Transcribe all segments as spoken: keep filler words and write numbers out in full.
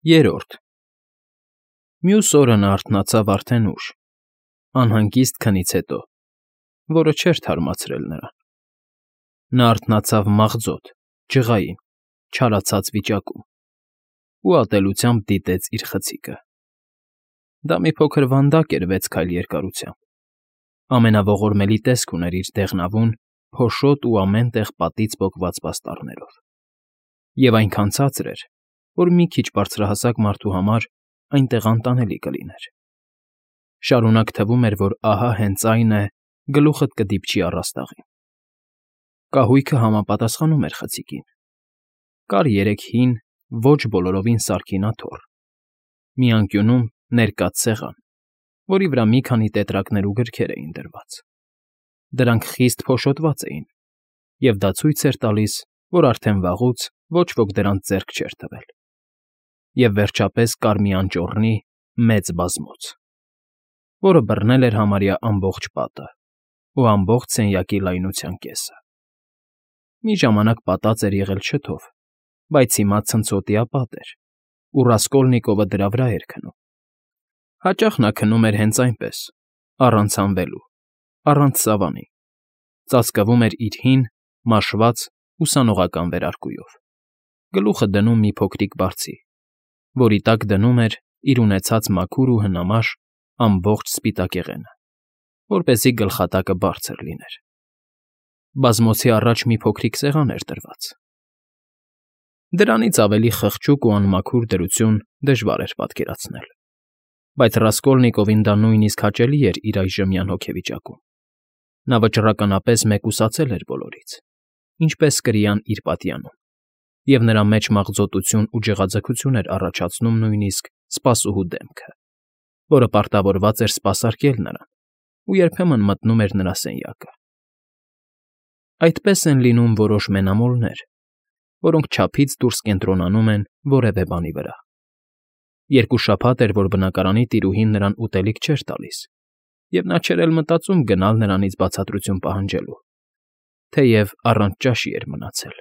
Երրորդ Մյուս օրը նա արթնացավ արդեն ուշ, անհանգիստ քնից հետո, որը չէր թարմացրել նրան. նա արթնացավ մաղձոտ, ջղային, չարացած վիճակում ու ատելությամբ դիտեց իր խցիկը. դա մի փոքր վանդակ էր վեց քայլ երկարությամբ, ամենաողորմելի տեսք ուներ իր դեղնավուն, փոշոտ ու ամեն տեղ պատից պոկված պաստառներով, և այնքան ցածր էր, որ մի քիչ բարձրահասակ մարդու համար այնտեղ անտանելի կլիներ. շարունակ թվում էր, որ ահա հենց այն է, գլուխդ կդիպչի առաստաղին. կահույքը համապատասխանում էր խցիկին. կար երեք հին, ոչ բոլորովին սարքին աթոռ, մի անկյունում ներկած սեղան, որի վրա մի քանի տետրակներ ու գրքեր էին դրված. դրանք խիստ փոշոտված էին, և դա ցույց էր տալիս, որ արդեն վաղուց ոչ ոք դրանց ձեռք չէր տվել. և վերջապես կար մի անճոռնի մեծ բազմոց, որը բռնել էր համարյա ամբողջ պատը ու ամբողջ սենյակի լայնության կեսը. մի ժամանակ պատած էր եղել չթով, բայց հիմա ցնցոտիապատ էր, ու Ռասկոլնիկովը դրա վրա էր քնում. հաճախ նա քնում էր հենց այնպես, առանց հանվելու, առանց սավանի, ծածկվում էր իր հին, մաշված, ուսանողական վերարկուով, գլուխը դնում մի փոքրիկ բարձի, որի տակ դնում էր իր ունեցած մաքուր ու հնամաշ ամբողջ սպիտակեղենը, որպեսզի գլխատակը բարձր լիներ. բազմոցի առաջ մի փոքրիկ սեղան էր դրված. դրանից ավելի խղճուկ ու անմաքուր դրություն դժվար էր պատկերացնել, բայց Ռասկոլնիկովին դա նույնիսկ հաճելի էր իր այժմյան հոգեվիճակում. նա վճռականապես մեկուսացել էր բոլորից, ինչպես կրիան իր պատյանում, և նրա մեջ մաղձոտություն ու ջղաձգություն էր առաջացնում նույնիսկ սպասուհու դեմքը, որը պարտավորված էր սպասարկել նրան ու երբեմն մտնում էր նրա սենյակը. այդպես են լինում որոշ մենամոլներ, որոնք չափից դուրս կենտրոնանում են որևէ բանի վրա. երկու շաբաթ էր, որ բնակարանի տիրուհին նրան ուտելիք չէր տալիս, և նա չէր էլ մտածում գնալ նրանից բացատրություն պահանջելու, թեև առանց ճաշի էր մնացել.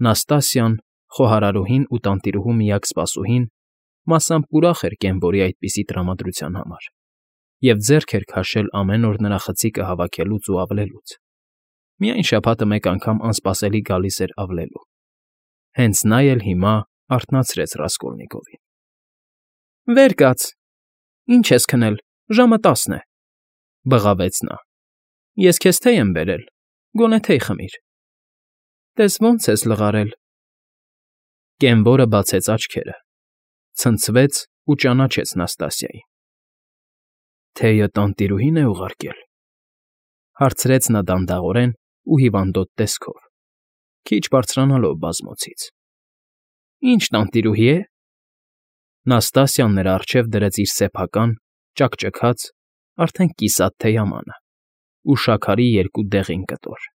Նաստասիան, խոհարարուհին ու տանտիրուհու միակ սպասուհին, մասամբ ուրախ էր Կենվորի այդպիսի տրամադրության համար և ձեռք էր քաշել ամեն օր նրա խցիկը հավաքելուց ու ավլելուց. միայն շաբաթը մեկ անգամ անսպասելի գալիս էր ավլելու. հենց նա էլ հիմա արթնացրեց Ռասկոլնիկովին. Վեր կաց, ի՞նչ ես քնել, ժամը տասն է,֊ բղավեց նա։ Ես քեզ թեյ եմ բերել, գոնե թեյ խմիր։ Տես ոնց ես լղարել։ Կենվորը բացեց աչքերը, ցնցվեց ու ճանաչեց Նաստասիային։ Թեյը տանտիրուհին է ուղարկել,֊ հարցրեց նա դանդաղորեն ու հիվանդոտ տեսքով, քիչ բարձրանալով բազմոցից։ Ինչ տանտիրուհի է։ Նաստասիան նրա առջև դրեց իր սեփական, ճաքճքած, արդեն կիսատ թեյամանը ու շաքարի երկու դեղին կտոր։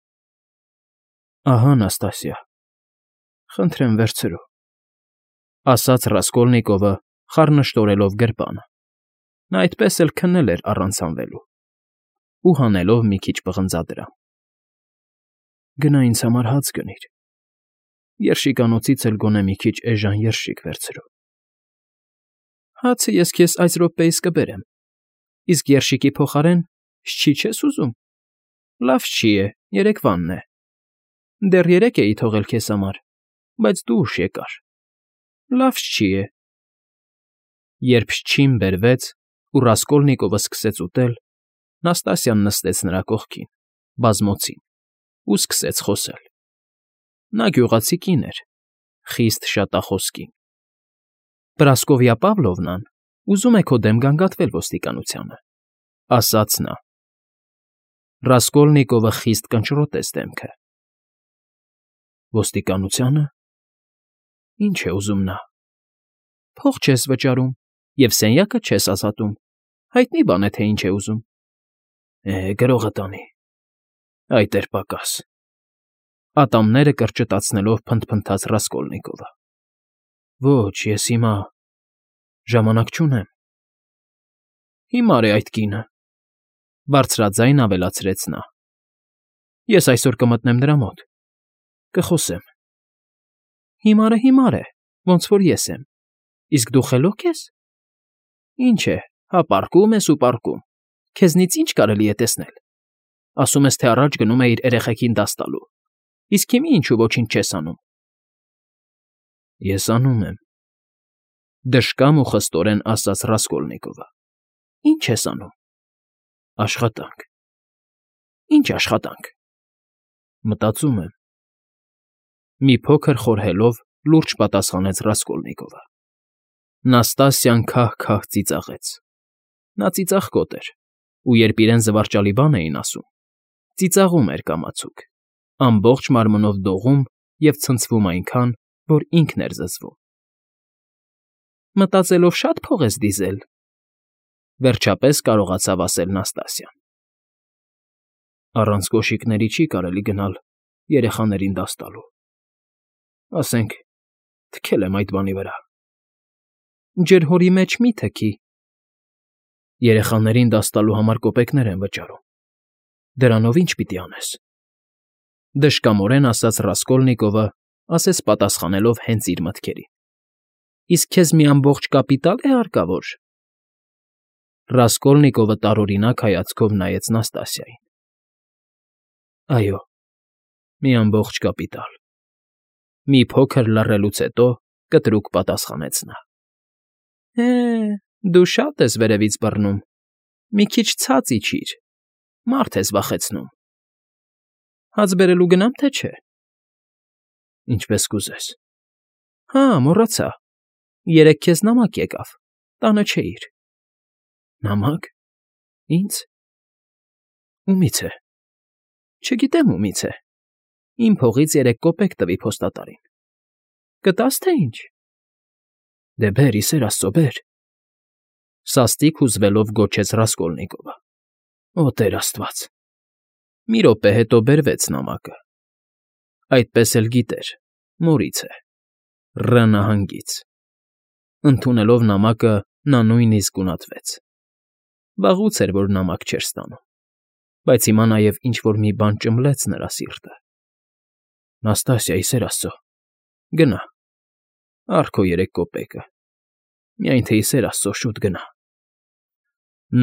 Ահա, Նաստասիա, խնդրեմ վերցրու,֊ ասաց Ռասկոլնիկովը, խառնշտորելով գրպանը. նա այդպես էլ քնել էր առանց հանվելու ու հանելով մի քիչ պղնձադրամ։ Գնա ինձ համար հաց գնիր, երշիկանոցից էլ գոնե մի քիչ էժան երշիկ վերցրու։ Հացը ես քեզ այս րոպեիս կբերեմ, իսկ երշիկի փոխարեն շչի չես ուզում։ Լավ շչի է, երեկվանն է։ Դեռ երեկ էի թողել քեզ համար, բայց դու ուշ եկար։ Լավ շչի է։ Երբ շչին բերվեց ու Ռասկոլնիկովը սկսեց ուտել, Նաստասիան նստեց նրա կողքին, բազմոցին, ու սկսեց խոսել։ Նա գյուղացի կին էր, խիստ շատախոս կին։ Պրասկովյա Պավլովնան ուզում է քո դեմ գանգատվել ոստիկանությանը,֊ ասաց նա։ Ռասկոլնիկովը խիստ կնճռոտեց դեմքը։ Ոստիկանությա՞նը։ Ինչ է ուզում նա։ Փող չես վճարում և սենյակը չես ազատում, հայտնի բան է, թե ինչ է ուզում։ Է, գրողը տանի։ Այդ էր պակաս,֊ ատամները կրճտացնելով փնթփնթաց Ռասկոլնիկովը։ Ոչ, ես հիմա… ժամանակ չունեմ։ Հիմար է այդ կինը,֊ բարձրաձայն ավելացրեց նա։ Ես այսօր կմտնեմ նրա մոտ, կխոսեմ։ Հիմարը հիմար է, ոնց որ ես եմ, Իսկ դու խելոք ես։ Ինչ է, հա պառկում ես ու պառկում, քեզնից ինչ կարելի է տեսնել։ Ասում ես, թե առաջ գնում էիր երեխեքին դաս տալու, իսկ հիմա ինչու ոչինչ չես անում։ Ես անում եմ,֊ դժկամ ու խստորեն ասաց Ռասկոլնիկովը։ Ի՞նչ ես անում։ Աշխատանք։ Ի՞նչ աշխատանք։ Մտածում եմ։ Մի փոքր խորհելով լուրջ պատասխանեց Ռասկոլնիկովը։ Նաստասիան քահ֊քահ ծիծաղեց։ Նա ծիծաղկոտ էր, ու երբ իրեն զվարճալի բան էին ասում, ծիծաղում էր կամացուկ, ամբողջ մարմնով դողում և ցնցվում այնքան, որ ինքն էր զզվում։ Մտածելով շա՞տ փող ես դիզել,֊ վերջապես կարողացավ ասել Նաստասիան։ Առանց կոշիկների չի կարելի գնալ երեխաներին դաս տալու։ Ասենք, թքել եմ այդ բանի վրա։ Ջրհորի մեջ մի՛ թքի։ Երեխաներին դաս տալու համար կոպեկներ են վճարում։ Դրանով ի՞նչ պիտի անես,֊ դժկամորեն ասաց Ռասկոլնիկովը, ասես պատասխանելով հենց իր մտքերին։ Իսկ քեզ մի ամբողջ կապիտալ է հարկավոր։ Ռասկոլնիկովը տարօրինակ հայացքով նայեց Նաստասիային։ Այո, մի ամբողջ կապիտալ,֊ մի փոքր լռելուց հետո կտրուկ պատասխանեց նա։ Հե, դու շատ ես վերևից բռնում, մի քիչ ցած իջիր, մարդ ես վախեցնում։ Հաց բերելու գնամ, թե չէ։ Ինչպես կուզես։ Հա, մոռացա, երեկ քեզ նամակ եկավ, տանը չէիր։ Նամակ։ Ինձ։ Ումի՞ց է։ Չգիտեմ ումից է։ Իմ փողից երեք կոպեկ տվի փոստատարին։ Կտա՞ս, թե ինչ։ Դե բեր, ի սեր Աստծո, բեր,֊ սաստիկ հուզվելով գոչեց Ռասկոլնիկովը։ Օ Տեր Աստված։ Մի րոպե հետո բերվեց նամակը։ Այդպես էլ գիտեր, մորից է, Ռ նահանգից։ Ընդունելով նամակը՝ նա նույնիսկ գունատվեց։ Վաղուց էր, որ նամակ չէր ստանում, բայց հիմա նաև ինչ֊որ մի բան ճմլեց նրա սիրտը։ Նաստասիա, ի սեր Աստծո, գնա, առ քո երեք կոպեկը, միայն թե, ի սեր Աստծո, շուտ գնա։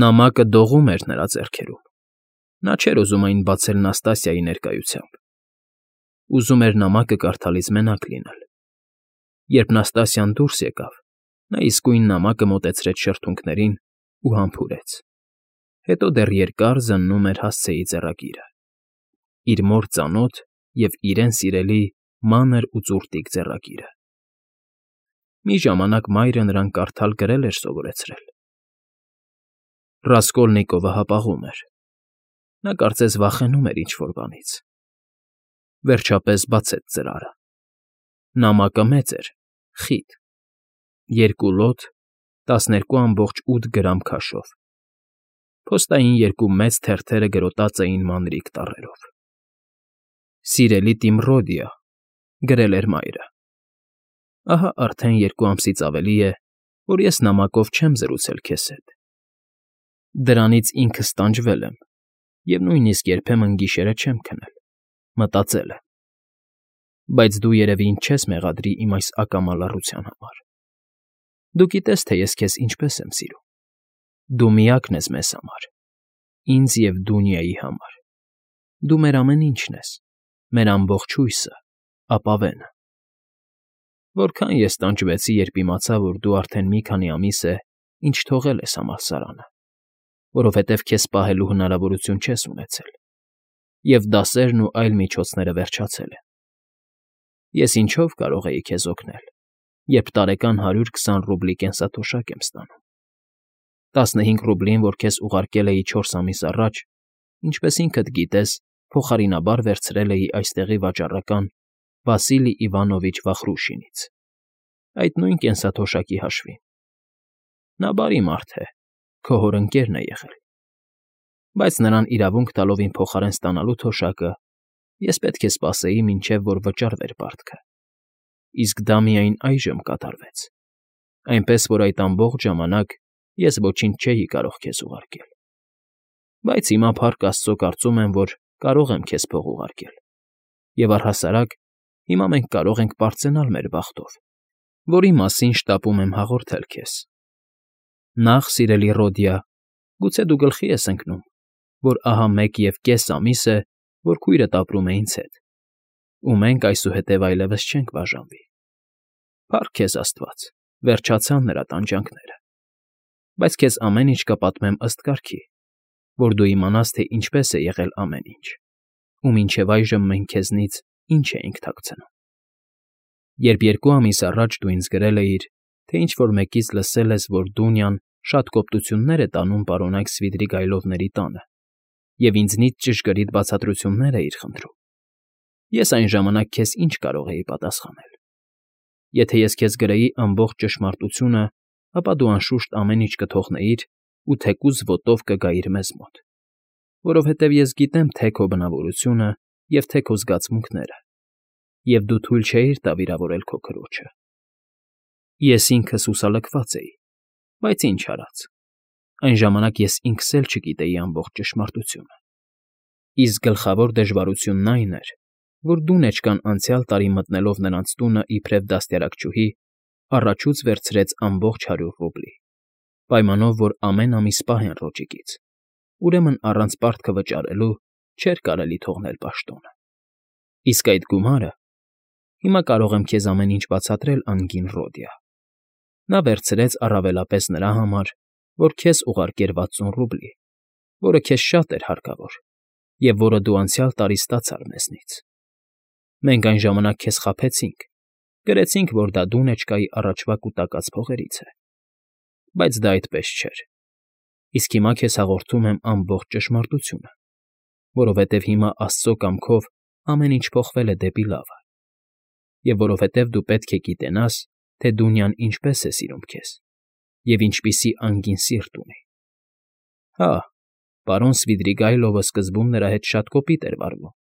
Նամակը դողում էր նրա ձեռքերում։ Նա չէր ուզում այն բացել Նաստասիայի ներկայությամբ։ Ուզում էր նամակը կարդալիս մենակ լինել։ Երբ Նաստասիան դուրս եկավ, նա իսկույն նամակը մոտեցրեց շրթունքներին ու համբուրեց։ Հետո դեռ երկար զննում էր հասցեի ձեռագիրը։ Իր մոր ծանոթ և իրեն սիրելի մանր ու ծուռտիկ ձեռագիրը։ Մի ժամանակ մայրը նրան կարդալ֊գրել էր սովորեցրել։ Ռասկոլնիկովը հապաղում էր։ Նա կարծես վախենում էր ինչ֊որ բանից։ Վերջապես բացեց ծրարը։ Նամակը մեծ էր, խիտ, երկու լոտ, տասներկու ամբողջ ութ գրամ քաշով։ Փոստային երկու մեծ թերթերը գրոտած էին մանրիկ տառերով։ Սիրելի Տիմռոդիա,֊ գրել էր մայրը,֊ ահա արդեն երկու ամսից ավելի է, որ ես նամակով չեմ զրուցել քեզ հետ։ Դրանից ինքս տանջվել եմ և նույնիսկ երբեմն գիշերը չեմ քնել, մտածել եմ։ Բայց դու երևի ինձ չես մեղադրի իմ այս ակամա լռության համար։ Դու գիտես, թե ես քեզ ինչպես եմ սիրում։ Դու միակն ես մեզ համար, ինձ և Դունիայի համար։ Դու մեր ամեն ինչն ես, մեր ամբողջ հույսը, ապավենը։ Որքան ես տանջվեցի, երբ իմացա, որ դու արդեն մի քանի ամիս է, ինչ թողել ես համալսարանը, որովհետև քեզ պահելու հնարավորություն չես ունեցել, և դասերն ու այլ միջոցները վերջացել են։ Ես ինչով կարող էի քեզ օգնել, երբ տարեկան հարյուր քսան ռուբլի կենսաթոշակ եմ ստանում։ Տասնհինգ ռուբլին, որ քեզ ուղարկել էի չորս ամիս առաջ, ինչպես ինքդ գիտես, փոխարինաբար վերցրել էի այստեղի վաճառական Վասիլի Իվանովիչ Վախրուշինից, այդ նույն կենսաթոշակի հաշվին։ Նա բարի մարդ է, քո հոր ընկերն է եղել։ Բայց նրան իրավունք տալով իմ փոխարեն ստանալու թոշակը, ես պետք է սպասեի, մինչև որ վճարվեր պարտքը։ Իսկ դա միայն այժմ կատարվեց, այնպես որ այդ ամբողջ ժամանակ ես ոչինչ չէի կարող քեզ ուղարկել։ Բայց հիմա, փառք Աստծո, կարծում եմ, որ կարող եմ քեզ փող ուղարկել, և առհասարակ հիմա մենք կարող ենք պարծենալ մեր բախտով որի մասին շտապում եմ հաղորդել քեզ։ Նախ, սիրելի Ռոդիա, գուցե դու գլխի ես ընկնում, որ ահա մեկ և կես ամիս է, որ քույրդ ապրում է ինձ հետ, ու մենք այսուհետև այլևս չենք բաժանվի։ Փառք քեզ Աստված, վերջացան նրա տանջանքները, բայց քեզ ամեն ինչ կպատմեմ ըստ կարգի, որ դու իմանաս, թե ինչպես է եղել ամեն ինչ, ու մինչև այժմ մենք քեզնից ինչ էինք թաքցնում։ Երբ երկու ամիս առաջ դու ինձ գրել էիր, թե ինչ֊որ մեկից լսել ես, որ Դունյան շատ կոպտություններ է տանում պարոնայք Սվիդրիգայլովների տանը և ինձնից ճշգրիտ բացատրություններ էիր խնդրում, ես այն ժամանակ քեզ ինչ կարող էի պատասխանել։ Եթե ես քեզ գրեի ամբողջ ճշմարտությունը, ապա դու անշուշտ ամեն ինչ կթողնեիր ու թեկուզ ոտով կգայիր մեզ մոտ, որովհետև ես գիտեմ թե քո բնավորությունը և թե քո զգացմունքները, և դու թույլ չէիր տա վիրավորել քո քրոջը։ Ես ինքս հուսալքված էի, բայց ինչ արած, այն ժամանակ ես ինքս էլ չգիտեի ամբողջ ճշմարտությունը։ Իսկ գլխավոր դժվարությունն այն էր, որ Դունեչկան անցյալ տարի մտնելով նրանց տունը իբրև դաստիարակչուհի, առաջուց վերցրեց ամբողջ հարյուր ռուբլի, պայմանով, որ ամեն ամիս պահեն ռոճիկից, ուրեմն առանց պարտքը վճարելու չէր կարելի թողնել պաշտոնը։ Իսկ այդ գումարը, հիմա կարող եմ քեզ ամեն ինչ բացատրել անգին Ռոդիա, նա վերցրեց առավելապես նրա համար, որ քեզ ուղարկեր վաթսուն ռուբլի, որը քեզ շատ էր հարկավոր և որը դու անցյալ տարի ստացար մեզնից։ Մենք այն ժամանակ քեզ խաբեցինք, գրեցինք, որ դա Դունեչկայի առաջվա կուտակած փողերից է, բայց դա այդպես չէր, իսկ հիմա քեզ հաղորդում եմ ամբողջ ճշմարտությունը, որովհետև հիմա Աստծո կամքով ամեն ինչ փոխվել է դեպի լավը, և որովհետև դու պետք է գիտենաս, թե Դունյան ինչպես է սիրում քեզ և ինչպիսի անգին սիրտ ունի։ Հա, պարոն Սվիդրիգայլովը սկզբում նրա հետ շատ կոպիտ էր վարվում,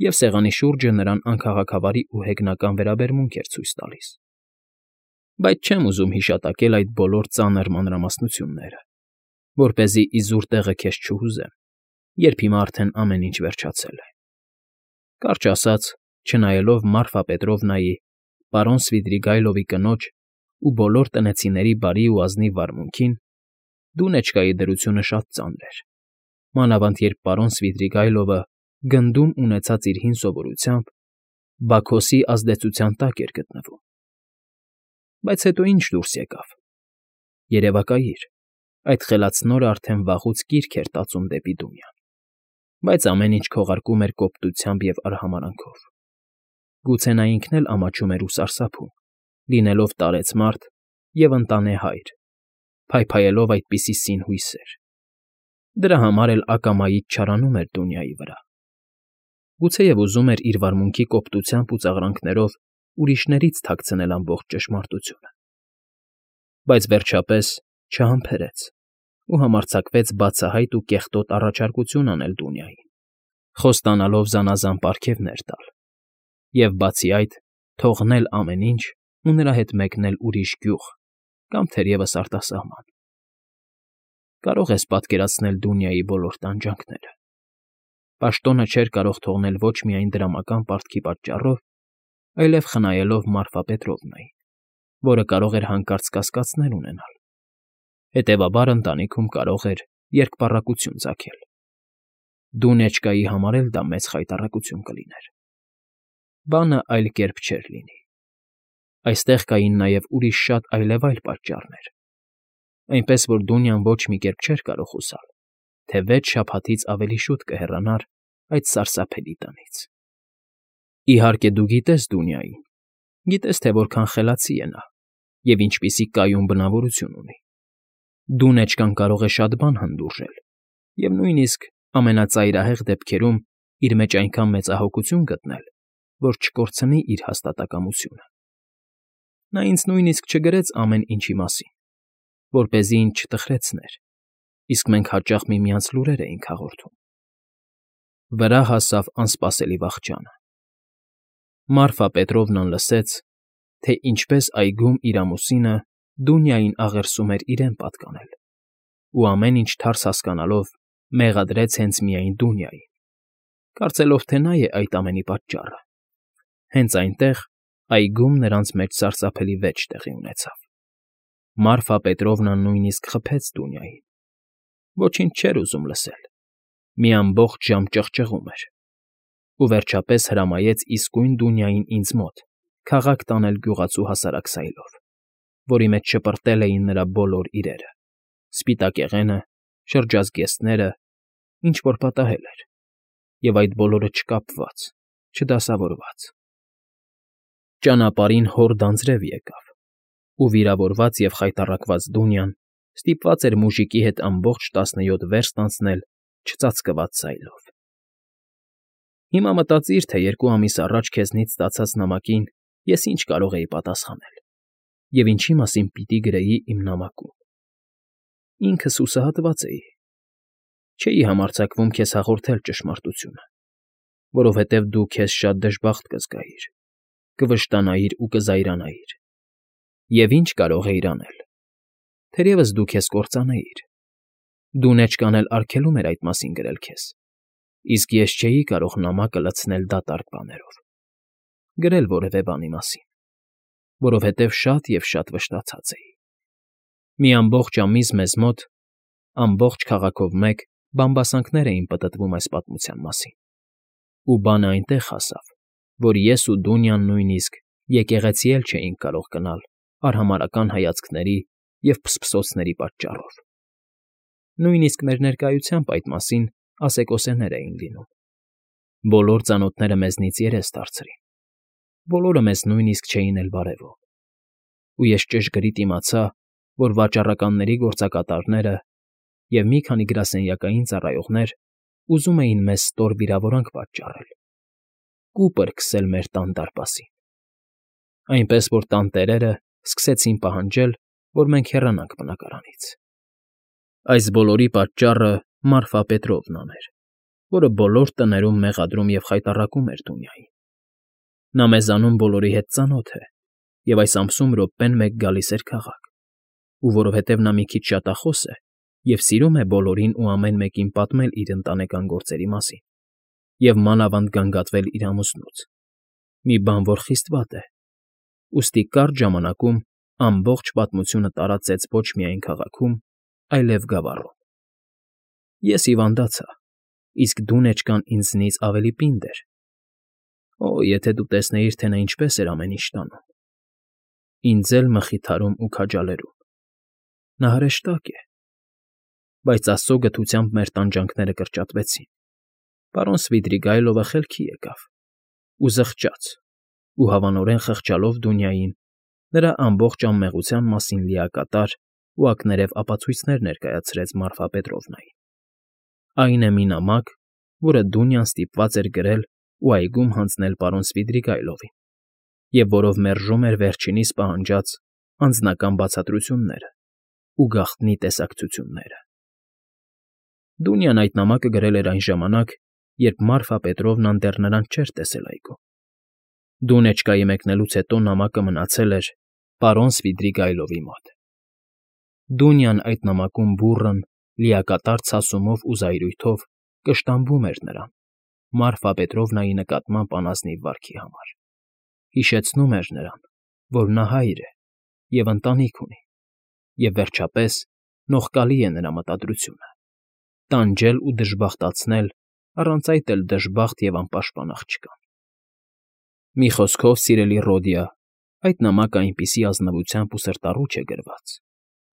և սեղանի շուրջը նրան անքաղաքավարի ու հեգնական վերաբերմունք էր ցույց տալիս։ Բայց չեմ ուզում հիշատակել այդ բոլոր ծանր մանրամասնությունները, որպեսզի իզուր տեղը քեզ չհուզեմ, երբ հիմա արդեն ամեն ինչ վերջացել է։ Կարճ ասած, չնայելով Մարֆա Պետրովնայի, պարոն Սվիդրիգայլովի կնոջ ու բոլոր տնեցիների բարի ու ազնիվ վարմունքին, Դունեչկայի դրությունը շատ ծանր էր, մանավանդ երբ պարոն Սվիդրիգայլովը գնդում ունեցած իր հին սովորությամբ Բաքոսի ազդեցության տակ էր գտնվում։ Բայց հետո ինչ դուրս եկավ։ Երևակայիր, այդ խելացնորը արդեն վաղուց կիրք էր տածում դեպի Դունյան, բայց ամեն ինչ քողարկում էր կոպտությամբ և արհամարհանքով։ Գուցե նա ինքն էլ ամաչում էր ու սարսափում, լինելով տարեց մարդ և ընտանե հայր, փայփայելով այդպիսի սին հույսեր։ Դրա համար էլ ակամայից չարանում էր Դունյայի վրա։ Գուցեև ուզում էր իր վարմունքի կոպտությամբ ու ծաղրանքներով ուրիշներից թաքցնել ամբողջ ճշմարտությունը։ Բայց վերջապես չհամբերեց ու համարձակվեց բացահայտ ու կեղտոտ առաջարկություն անել Դունյային, խոստանալով զանազան պարգևներ տալ և, բացի այդ, թողնել ամեն ինչ ու նրա հետ մեկնել ուրիշ գյուղ կամ թերևս արտասահման։ Կարող ես պատկերացնել Դունյայի բոլոր տանջանքները։ Պաշտոնը չէր կարող թողնել ոչ միայն դրամական պարտքի պատճառով, այլև խնայելով Մարֆա Պետրովնային, որը կարող էր հանկարծ կասկածներ ունենալ, հետևաբար ընտանիքում կարող էր երկպառակություն ծագել։ Դունեչկայի համար էլ դա մեծ խայտառակություն կլիներ։ Բանը այլ կերպ չէր լինի։ Այստեղ կային նաև ուրիշ շատ այլևայլ պատճառներ, այնպես որ Դունյան ոչ մի կերպ չէր կարող հուսալ, թե վեց շաբաթից ավելի շուտ կհեռանար այդ սարսափելի տնից։ Իհարկե, դու գիտես Դունյային, գիտես, թե որքան խելացի է նա և ինչպիսի կայուն բնավորություն ունի։ Դունեչկան կարող է շատ բան հանդուրժել և նույնիսկ ամենածայրահեղ դեպքերում իր մեջ այնքան մեծահոգություն գտնել, որ չկորցնի իր հաստատակամությունը։ Նա ինձ նույնիսկ չգրեց ամեն ինչի մասին, որպեսզի ինձ չտխրեցներ, իսկ մենք հաճախ միմյանց լուրեր էինք հաղորդում։ Վրա հասավ անսպասելի վախճանը։ Մարֆա Պետրովնան լսեց, թե ինչպես այգում իր ամուսինը Դունյային աղերսում էր իրեն պատկանել, ու ամեն ինչ թարս հասկանալով մեղադրեց հենց միայն Դունյային, կարծելով, թե նա է այդ ամենի պատճառը։ Հենց այնտեղ, Այգում նրանց մեջ սարսափելի վեճ տեղի ունեցավ։ Մարֆա Պետրովնան նույնիսկ խփեց Դունյային։ Ոչինչ չէր ուզում լսել, մի ամբողջ ժամ ճղճղում էր, ու վերջապես հրամայեց իսկույն Դունյային ինձ մոտ քաղաք տանել գյուղացու հասարակ սայլով, որի մեջ շպրտել էին նրա բոլոր իրերը՝ սպիտակեղենը, շրջազգեստները, ինչ֊որ պատահել էր, և այդ բոլորը չկապված, չդասավորված։ Ճանապարհին հորդ անձրև եկավ, ու վիրավորված և խայտառակված Դունյան ստիպված էր մուժիկի հետ ամբողջ տասնյոթ վերստ անցնել չծածկված սայլով։ Հիմա մտածիր, թե երկու ամիս առաջ քեզնից ստացած նամակին ես ինչ կարող էի պատասխանել և ինչի մասին պիտի գրեի իմ նամակում։ Ինքս հուսահատված էի։ Չէի համարձակվում քեզ հաղորդել ճշմարտությունը, որովհետև դու քեզ շատ դժբախտ կզգայիր, կվշտանայիր ու կզայրանայիր։ Եվ ինչ կարող էիր անել։ Թերևս դու քեզ կործանեիր։ Դունեչկան էլ արգելում էր այդ մասին գրել քեզ, իսկ ես չէի կարող նամակը լցնել դատարկ բաներով, գրել որևէ բանի մասին, որովհետև շատ և շատ վշտացած էի։ Մի ամբողջ ամիս մեզ մոտ, ամբողջ քաղաքով մեկ, բամբասանքներ էին պտտվում այս պատմության մասին, ու բանը այնտեղ հասավ, որ ես ու Դունյան նույնիսկ եկեղեցի էլ չէինք կարող գնալ արհամարհական հայացքների և փսփսոցների պատճառով։ Նույնիսկ մեր ներկայությամբ այդ մասին ասեկոսեներ էին լինում։ Բոլոր ծանոթները մեզնից երես դարձրին, բոլորը մեզ նույնիսկ չէին էլ բարևում։ Ու ես ճշգրիտ իմացա, որ վաճառականների գործակատարները և մի քանի գրասենյակային ծառայողներ ուզում էին մեզ ստոր վիրավորանք պատճառել, կուպր քսել մեր տան դարպասին, այնպես որ տանտերերը սկսեցին պահանջել, որ մենք հեռանանք բնակարանից։ Այս բոլորի պատճառը Մարֆա Պետրովնան էր, որը բոլոր տներում մեղադրում և խայտառակում էր Դունյային։ Նա մեզանում բոլորի հետ ծանոթ է, և այս ամսում րոպեն մեկ գալիս էր քաղաք, ու որովհետև նա մի քիչ շատախոս է և սիրում է բոլորին ու ամեն մեկին պատմել իր ընտանեկան գործերի մասին և մանավանդ գանգատվել իր ամուսնուց, մի բան, որ խիստ վատ է, ուստի կարճ ժամանակում ամբողջ պատմությունը տարածեց ոչ միայն քաղաքում, այլև գավառում։ Ես հիվանդացա, իսկ Դունեչկան ինձնից ավելի պինդ էր։ Օ, եթե դու տեսնեիր, թե նա ինչպես էր ամեն ինչ տանում։ Ինձ էլ մխիթարում ու քաջալերում։ Նա հրեշտակ է։ Բայց Աստծո գթությամբ մեր տանջանքները կրճատվեցին։ Պարոն Սվիդրիգայլովը խելքի եկավ ու զղջաց, ու հավանորեն խղճալով Դունյային, նրա ամբողջ անմեղության մասին լիակատար ու ակներև ապացույցներ ներկայացրեց Մարֆա Պետրովնային։ Այն է մի նամակ, որը Դունյան ստիպված էր գրել ու այգում հանձնել պարոն Սվիդրիգայլովին, և որով մերժում էր վերջինիս պահանջած անձնական բացատրությունները ու գաղտնի տեսակցությունները։ Դունյան այդ նամակը գրել էր այն ժամանակ, երբ Մարֆա Պետրովնան դեռ նրան չէր տեսել այգում։ Դունեչկայի մեկնելուց հետո նամակը մնացել էր պարոն Սվիդրիգայլովի մոտ։ Դունյան այդ նամակում բուռն, լիակատար ցասումով ու զայրույթով կշտամբում էր նրան Մարֆա Պետրովնայի նկատմամբ անազնիվ վարքի համար, հիշեցնում էր նրան, որ նա հայր է և ընտանիք ունի, և, վերջապես, նողկալի է նրա մտադրությունը՝ տանջել ու դժբախտացնել առանց այդ էլ դժբախտ և անպաշտպան աղջկան։ Մի խոսքով, սիրելի Ռոդիա, այդ նամակը այնպիսի ազնվությամբ ու սրտառուչ է գրված,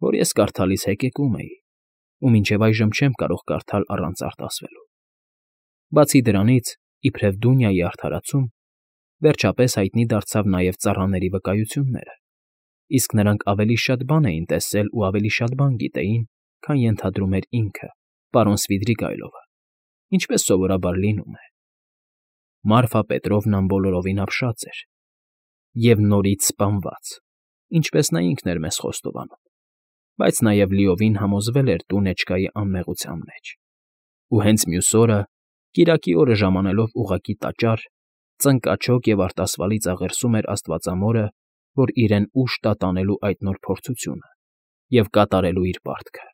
որ ես կարդալիս հեկեկում էի ու մինչև այժմ չեմ կարող կարդալ առանց արտասվելու։ Բացի դրանից, իբրև Դունյայի արդարացում, վերջապես հայտնի դարձավ նաև ծառաների վկայությունները, իսկ նրանք ավելի շատ բան էին տեսել ու ավելի շատ բան գիտեին, քան ենթադրում էր ինքը, պարոն Սվիդրիգայլովը, ինչպես սովորաբար լինում է։ Մարֆա Պետրովնան բոլորովին ապշած էր և նորից սպանված, ինչպես նա ինքն էր մեզ խոստովանում, բայց նաև լիովին համոզվել էր Դունեչկայի անմեղության մեջ, ու հենց մյուս օրը, կիրակի օրը ժամանելով ուղղակի տաճար, ծնկաչոք և արտասվալից աղերսում էր աստվածամորը, որ իրեն ուժ տա տանելու այդ նոր փորձությունը և կատարելու իր պարտքը։